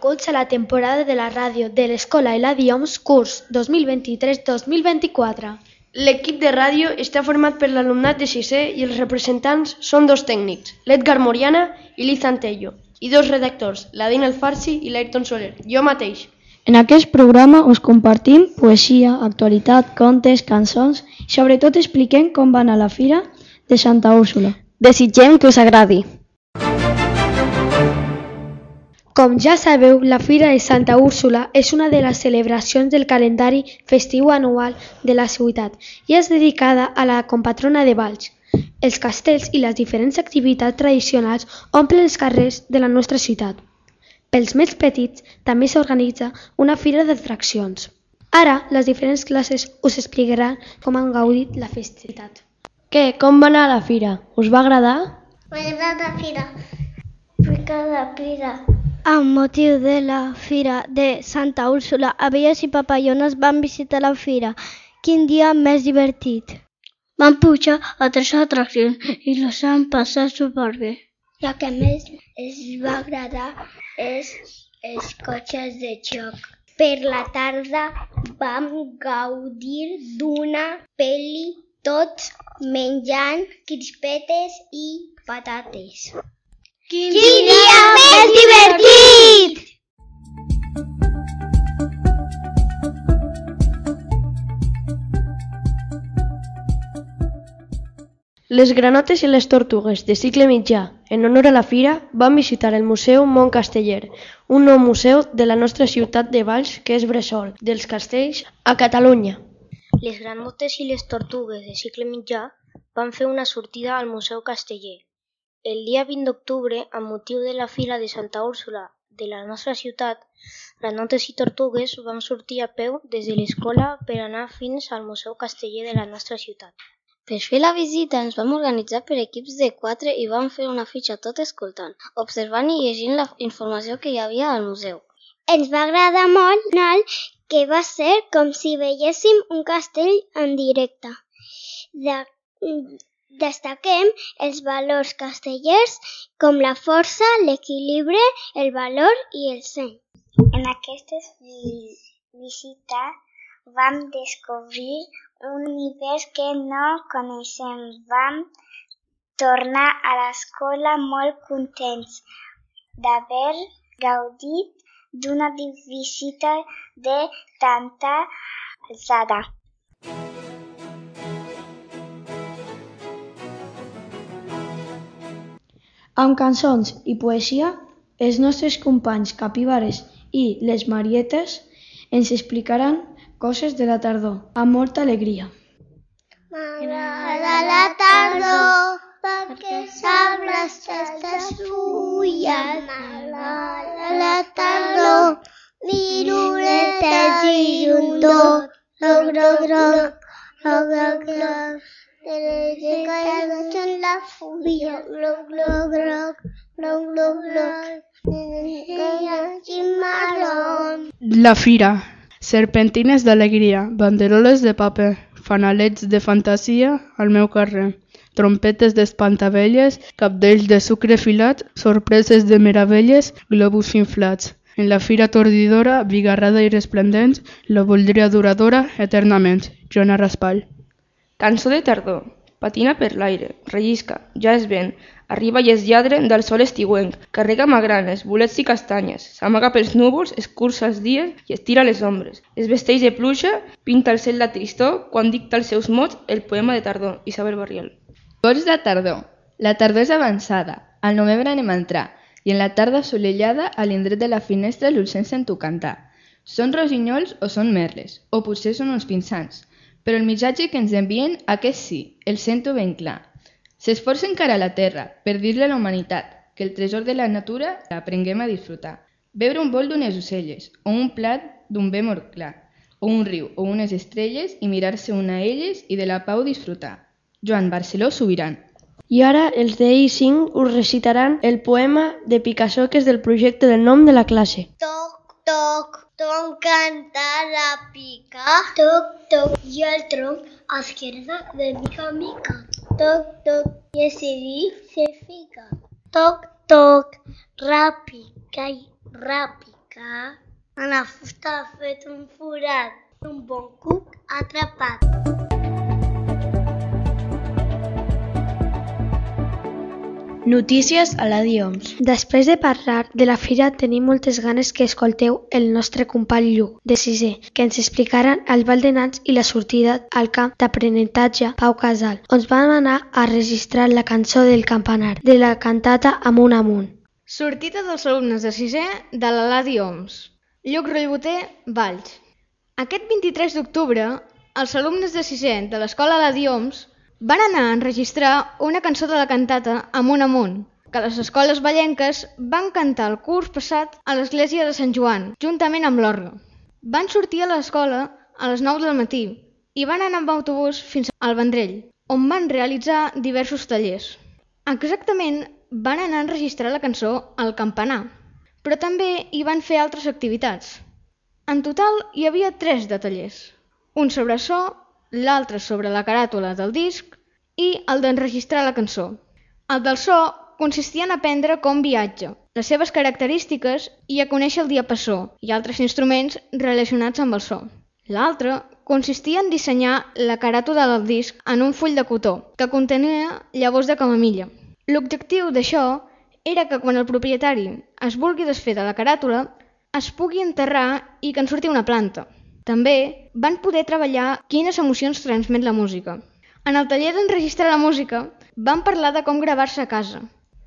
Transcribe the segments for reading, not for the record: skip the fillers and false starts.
benvinguts a la temporada de la ràdio de l'Escola Eladi Homs curs 2023-2024. L'equip de ràdio està format per l'alumnat de sisè i els representants són dos tècnics, l'Edgar Moriana i l'Izan Tello, i dos redactors, la Dina Alfarsi i l'Ayrton Soler, jo mateix. En aquest programa us compartim poesia, actualitat, contes, cançons i sobretot expliquem com va anar la fira de Santa Úrsula. Desitgem que us agradi. Com ja sabeu, la Fira de Santa Úrsula és una de les celebracions del calendari festiu anual de la ciutat i és dedicada a la compatrona de Valls. Els castells i les diferents activitats tradicionals omplen els carrers de la nostra ciutat. Pels més petits també s'organitza una fira d'atraccions. Ara, les diferents classes us explicaran com han gaudit la festivitat. Què? Com va anar la fira? Us va agradar? M'agrada la fira. Perquè la fira. Amb motiu de la Fira de Santa Úrsula, abelles i papallones van visitar la fira. Quin dia més divertit! Van pujar a 3 atraccions i les han passat superbé. La que més ens va agradar és els cotxes de joc. Per la tarda vam gaudir d'una pel·li tots menjant crispetes i patates. Quin dia més divertit! Les granotes i les tortugues de cicle mitjà, en honor a la fira, van visitar el Museu Mont Casteller, un nou museu de la nostra ciutat de Valls que és bressol dels castells a Catalunya. Les granotes i les tortugues de cicle mitjà van fer una sortida al Museu Casteller. El dia 20 d'octubre, amb motiu de la Fira de Santa Úrsula de la nostra ciutat, granotes i tortugues van sortir a peu des de l'escola per anar fins al Museu Casteller de la nostra ciutat. Per fer la visita ens vam organitzar per equips de 4 i vam fer una fitxa tot escoltant, observant i llegint la informació que hi havia al museu. Ens va agradar molt que va ser com si veiéssim un castell en directe. Destaquem els valors castellers com la força, l'equilibri, el valor i el seny. En aquesta visita vam descobrir un univers que no coneixem. Vam tornar a l'escola molt contents d'haver gaudit d'una visita de tanta alçada. Amb cançons i poesia, els nostres companys capibares i les marietes ens explicaran coses de la tardor, amb molta alegria. M'agrada la tardor perquè s'arbres aquestes fulles. M'agrada la tardor, viruletes i llundor. Groc, groc, groc, groc, groc, groc. Que caigues en la fulla. Groc, groc, groc, groc, groc, groc. Que hi hagi marrón. La fira. Serpentines d'alegria, banderoles de paper, fanalets de fantasia al meu carrer, trompetes d'espantavelles, cabdells de sucre filat, sorpreses de meravelles, globus inflats. En la fira tordidora, bigarrada i resplendent, la voldria duradora eternament. Joana Raspall. Cançó de tardor. Patina per l'aire, rellisca, ja és vent, arriba i es lladre del sol estiuenc, carrega magranes, bolets i castanyes, s'amaga pels núvols, escurça els dies i estira les ombres. Es vesteix de pluja, pinta el cel de tristor quan dicta els seus mots el poema de tardor, Isabel Barriol. Gots de tardor. La tardor és avançada, al novembre anem a entrar, i en la tarda assolellada a l'indret de la finestra l'ulcen sento cantar. Són rossinyols o són merles, o potser són uns pinsans, però el missatge que ens envien, aquest sí, el sento ben clar. S'esforça encara a la terra per dir-li a la humanitat que el tresor de la natura l'aprenguem a disfrutar. Beure un bol d'unes ocelles, o un plat d'un bé molt clar, o un riu o unes estrelles i mirar-se una a elles i de la pau disfrutar. Joan Barceló Subiran. I ara els de I5 us recitaran el poema de Picasso que és del projecte del nom de la classe. Toc, toc, tronc canta la pica. Toc, toc, i el tronc a esquerda de mica en mica. Toc, toc, i el CD se fica. Toc, toc, ràpica i ràpica. picar. En la fusta ha fet un forat. Un bon cuc atrapat. Notícies a la Dioms. Després de parlar de la fira, tenim moltes ganes que escolteu el nostre company Lluc, de 6è, que ens explicaran el ball de nans i la sortida al camp d'aprenentatge Pau Casal, on van anar a registrar la cançó del campanar, de la cantata Amunt Amunt. Sortida dels alumnes de 6è de l'Aladi Oms. Lluc Rollboter, Valls. Aquest 23 d'octubre, els alumnes de 6è de l'escola Aladi Oms van anar a enregistrar una cançó de la cantata Amunt Amunt, que les escoles vallenques van cantar el curs passat a l'església de Sant Joan, juntament amb l'orgue. Van sortir a l'escola a les 9 del matí i van anar amb autobús fins al Vendrell, on van realitzar diversos tallers. Exactament van anar a enregistrar la cançó al campanar, però també hi van fer altres activitats. En total hi havia 3 de tallers, un sobre so, l'altre sobre la caràtula del disc i el d'enregistrar la cançó. El del so consistia en aprendre com viatja, les seves característiques i a conèixer el diapasó i altres instruments relacionats amb el so. L'altre consistia en dissenyar la caràtula del disc en un full de cotó que contenia llavors de camamilla. L'objectiu d'això era que quan el propietari es vulgui desfer de la caràtula es pugui enterrar i que en surti una planta. També van poder treballar quines emocions transmet la música. En el taller d'enregistrar la música van parlar de com gravar-se a casa,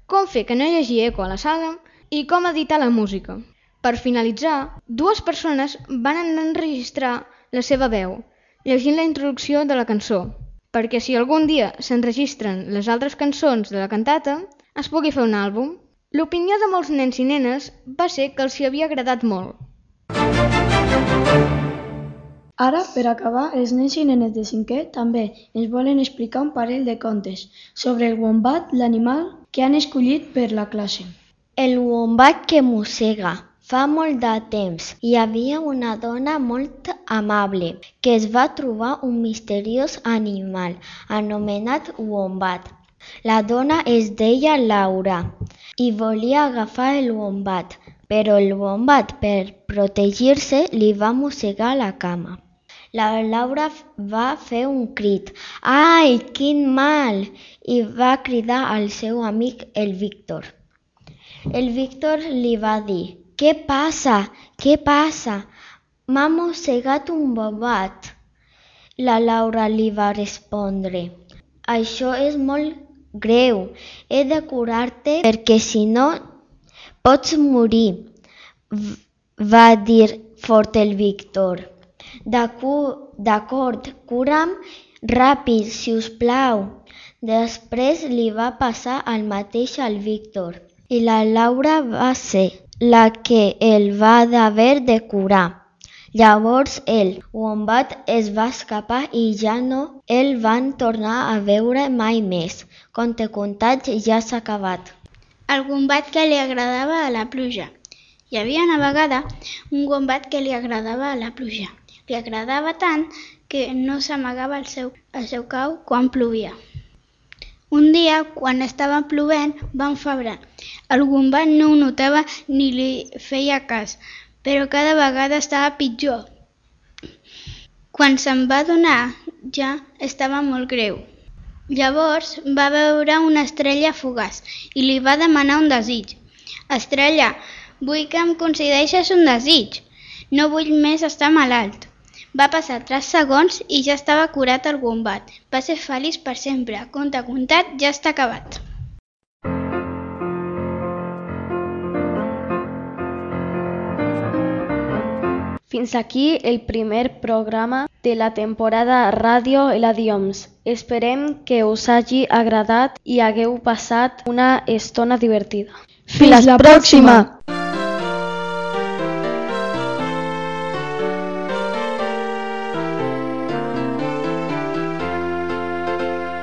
com fer que no hi hagi eco a la sala i com editar la música. Per finalitzar, 2 persones van anar a enregistrar la seva veu, llegint la introducció de la cançó, perquè si algun dia s'enregistren les altres cançons de la cantata, es pugui fer un àlbum. L'opinió de molts nens i nenes va ser que els hi havia agradat molt. Ara, per acabar, els nens i nenes de 5è també ens volen explicar un parell de contes sobre el wombat, l'animal que han escollit per la classe. El wombat que mossega. Fa molt de temps hi havia una dona molt amable que es va trobar un misteriós animal anomenat wombat. La dona es deia Laura i volia agafar el wombat, però el wombat, per protegir-se, li va mossegar la cama. La Laura va fer un crit. «Ai, quin mal!» i va cridar al seu amic el Víctor. El Víctor li va dir: «Què passa? Què passa? M'ha mossegat un wombat». La Laura li va respondre: «Això és molt greu. He de curar-te perquè si no pots morir», va dir fort el Víctor. «D'acord, cura'm ràpid, si us plau». Després li va passar el mateix al Víctor i la Laura va ser la que el va haver de curar. Llavors el wombat es va escapar i ja no el van tornar a veure mai més. Conte contat ja s'ha acabat. El wombat que li agradava a la pluja. Hi havia una vegada un wombat que li agradava a la pluja. Li agradava tant que no s'amagava al seu cau quan plovia. Un dia, quan estava plovent, va enfebrar. El wombat no ho notava ni li feia cas, però cada vegada estava pitjor. Quan se'n va adonar, ja estava molt greu. Llavors va veure una estrella fugaç i li va demanar un desig. «Estrella, vull que em concedeixes un desig. No vull més estar malalt». Va passar 3 segons i ja estava curat el wombat. Va ser feliç per sempre. Conte contat ja està acabat. Fins aquí el primer programa de la temporada Ràdio Aladi Oms. Esperem que us hagi agradat i hagueu passat una estona divertida. Fins la pròxima!